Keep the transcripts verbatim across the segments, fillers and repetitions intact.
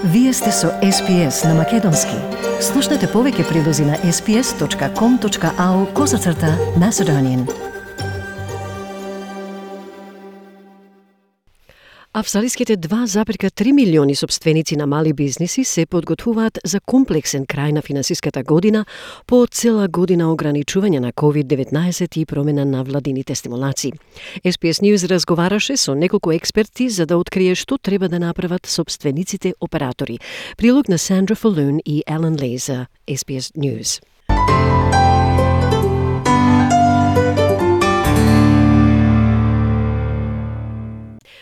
Вие сте со Ес Би Ес на Македонски. Слушнете повеќе прилози на ес би ес точка ком точка ау козацрта Macedonian. Австралиските два запирка три милиони сопственици на мали бизниси се подготвуваат за комплексен крај на финансиската година по цела година ограничување на ковид деветнаесет и промена на владините стимулации. Ес Би Ес News разговараше со неколку експерти за да открие што треба да направат сопствениците оператори. Прилог на Сандра Фалун и Елен Ли за Ес Би Ес News.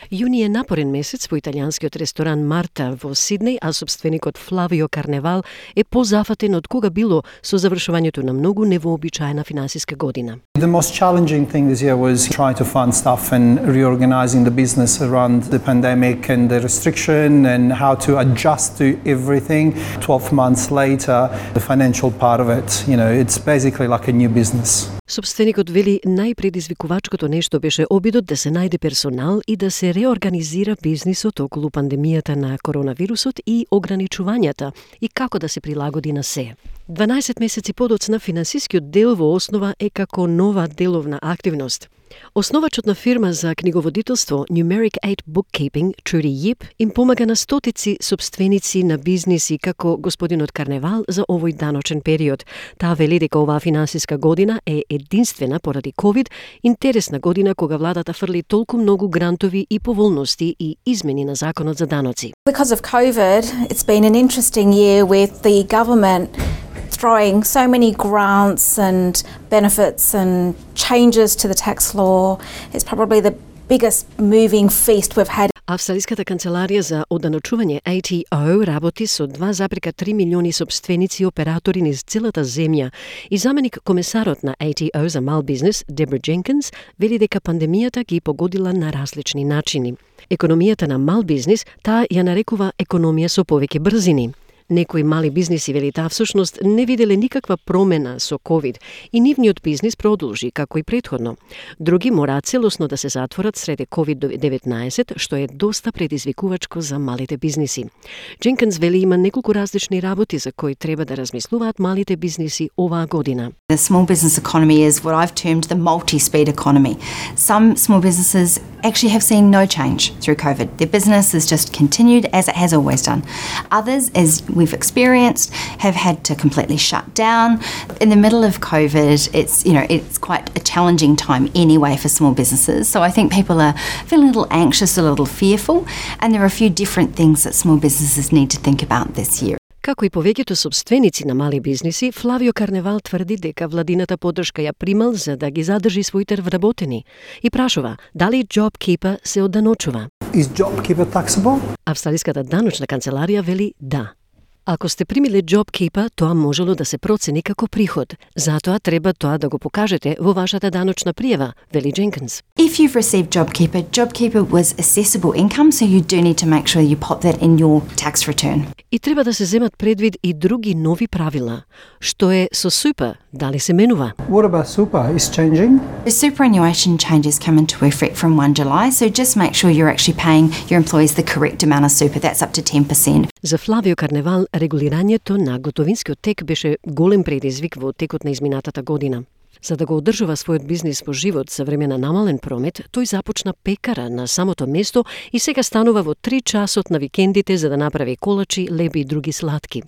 Јуни е напорен месец во италијанскиот ресторан Марта во Сиднеј, а сопственикот Флавио Карневал е позафатен од кога било со завршувањето на многу невообичаена финансиска година. The most challenging thing this year was trying to fund stuff and reorganizing the business around the pandemic and the restriction and how to adjust to everything. twelve months later, the financial part of it, you know, it's basically like a new business. Сопственикот вели најпредизвикувачкото нешто беше обидот да се најде персонал и да се реорганизира бизнисот околу пандемијата на коронавирусот и ограничувањата и како да се прилагоди на се. дванаесет месеци подоцна финансискиот дел во основа е како нова деловна активност. Основачот на фирма за книговодителство Numeric eight Bookkeeping, Trudy Yip, им помага на стотици сопственици на бизниси како господинот Карневал за овој даночен период. Таа вели дека оваа финансиска година е единствена поради ковид, интересна година кога владата фрли толку многу грантови и поволности и измени на законот за даноци. Because of COVID, it's been an interesting year with the government throwing so many grants and benefits and changes to the tax law. It's probably the biggest moving feast we've had. Австралиската канцеларија за оданочување А Т О работи со два запирка три милиони сопственици и оператори низ целата земја и заменик комесарот на А Т О за мал бизнес Дебра Дженкинс вели дека пандемијата ги погодила на различни начини. Економијата на мал бизнес таа ја нарекува економија со повеќе брзини. Некои мали бизниси, вели таа, всушност не виделе никаква промена со ковид и нивниот бизнис продолжи како и претходно. Други мораат целосно да се затворат среде ковид деветнаесет, што е доста предизвикувачко за малите бизниси. Дженкинс вели има неколку различни работи за кои треба да размислуваат малите бизниси оваа година. The small business economy is what I've termed the multi-speed economy. Some small businesses actually have seen no change through COVID. Their business has just continued as it has always done. Others, as we've experienced, have had to completely shut down. In the middle of COVID, it's, you know, it's quite a challenging time anyway for small businesses. So I think people are feeling a little anxious, a little fearful, and there are a few different things that small businesses need to think about this year. Како и повеќето сопственици на мали бизниси, Флавио Карневал тврди дека владината поддршка ја примал за да ги задржи своите вработени и прашува дали JobKeeper се одданочува. Is JobKeeper taxable? Австралиската даночна канцеларија вели да. Ако сте примиле JobKeeper, тоа можело да се процени како приход. Затоа треба тоа да го покажете во вашата даночна пријава, вели Дженкинс. If you've received JobKeeper, JobKeeper was assessable income, so you do need to make sure you pop that in your tax return. И треба да се земат предвид и други нови правила. Што е со Super? Дали се менува? What about Super? Is changing? The superannuation changes come into effect from first of July, so just make sure you're actually paying your employees the correct amount of super. That's up to ten percent. За Флавио Карневал, регулирањето на готовинскиот тек беше голем предизвик во текот на изминатата година. За да го одржува својот бизнис во живот за време на намален промет, тој започна пекара на самото место и сега станува во три часот на викендите за да направи колачи, леби и други сладки.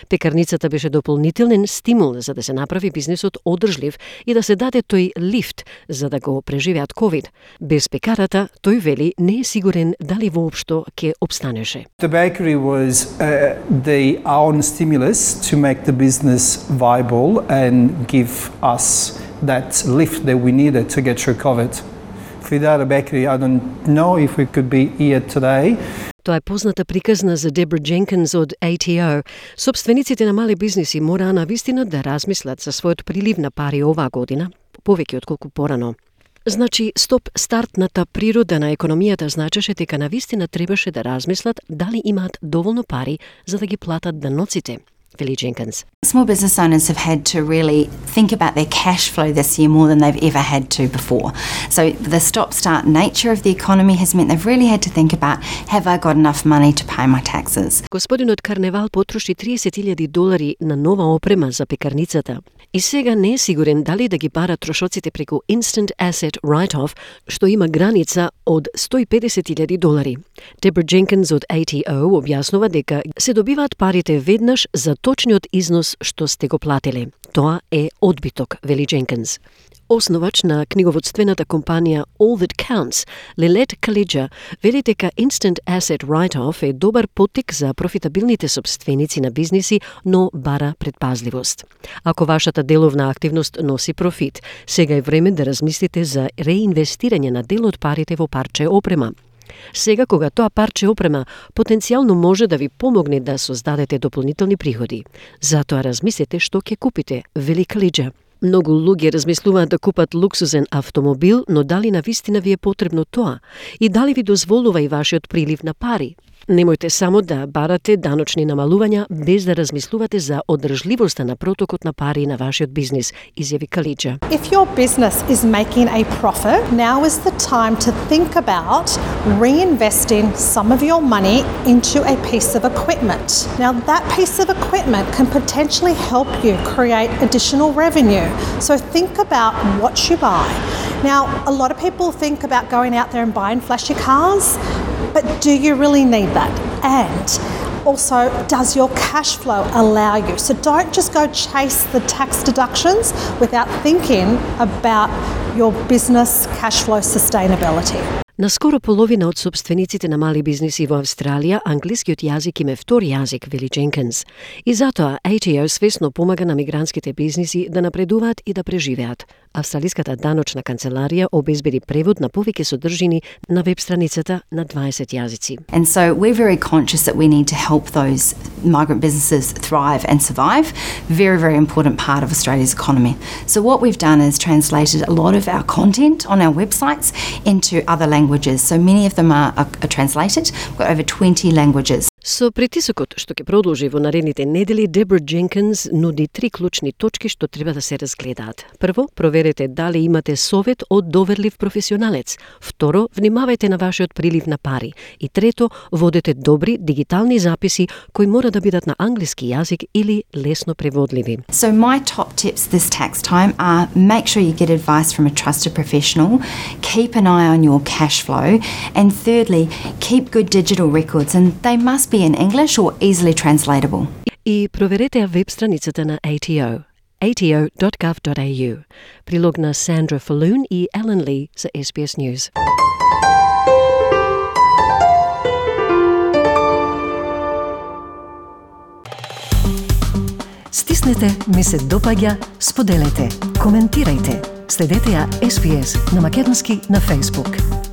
Пекарницата беше дополнителен стимул за да се направи бизнисот одржлив и да се даде тој лифт за да го преживеат ковид. Без пекарата, тој вели, не е сигурен дали воопшто ќе обстанеше. The bakery was uh, the own stimulus to make the business viable and give us that lift that we needed to get through COVID. Without a bakery, I don't know if we could be here today. Тоа е позната приказна за Дебра Дженкинс од А Т О. Сопствениците на мали бизниси мораа навистина да размислат за својот прилив на пари оваа година, повеќе отколку порано. Значи, стоп стартната природа на економијата значеше дека навистина требаше да размислат дали имаат доволно пари за да ги платат даноците. вели Jenkins. Small business owners have had to really think about their cash flow this year more than they've ever had to before. So the stop-start nature of the economy has meant they've really had to think about, have I got enough money to pay my taxes? Господинот Карневал потроши триесет илјади долари на нова опрема за пекарницата. И сега не е сигурен дали да ги бара трошоците преку Instant Asset Write-Off, што има граница од сто и педесет илјади долари. Deborah Jenkins од A T O објаснува дека се добиваат парите веднаш за точниот износ што сте го платиле. Тоа е одбиток, вели Jenkins. Основач на книговодствената компанија All That Counts, Lilette Khalidja, вели дека Instant Asset Write-Off е добар поттик за профитабилните собственици на бизниси, но бара предпазливост. Ако вашата деловна активност носи профит, сега е време да размислите за реинвестирање на дел од парите во парче опрема. Сега, кога тоа парче опрема потенцијално може да ви помогне да создадете дополнителни приходи. Затоа размислете што ќе купите, вели Khalidja. Многу луѓе размислуваат да купат луксузен автомобил, но дали навистина ви е потребно тоа? И дали ви дозволува и вашиот прилив на пари? Немојте само да барате даночни намалувања без да размислувате за одржливоста на протокот на пари на вашиот бизнис, изјави Khalidja. If your business is making a profit, now is the time to think about reinvesting some of your money into a piece of equipment. Now that piece of equipment can potentially help you create additional revenue. So think about what you buy. Now, a lot of people think about going out there and buying flashy cars, but do you really need that? And also, does your cash flow allow you? So don't just go chase the tax deductions without thinking about your business cash flow sustainability. Наскоро половина од собствениците на мали бизниси во Австралија англискиот јазик им е втори јазик, вели Jenkins. И затоа A T O свесно помага на мигрантските бизниси да напредуваат и да преживеат. Австралиската даночна канцеларија обезбеди превод на повеќе содржини на веб страницата на дваесет јазици. And so we're very conscious that we need to help those migrant businesses thrive and survive. Very, very important part of Australia's economy. So what we've done is translated a lot of our content on our websites into other languages. So many of them are, are, are translated. We've got over twenty languages. Со притисокот што ќе продолжи во наредните недели, Deborah Jenkins нуди три клучни точки што треба да се разгледаат. Прво, проверете дали имате совет од доверлив професионалец. Второ, внимавајте на вашиот прилив на пари. И трето, водете добри дигитални записи кои мора да бидат на англиски јазик или лесно преводливи. So my top tips this tax time are make sure you get advice from a trusted professional, keep an eye on your cash flow, and thirdly, keep good digital records, and they must be in English or easily translatable. И проверете ја веб страницата на A T O, a t o dot gov dot a u. Прилог на Sandra Falloon и Ellen Lee за S B S News. Стиснете, ми се допаѓа, споделете, коментирајте. Следете ја S B S на македонски на Facebook.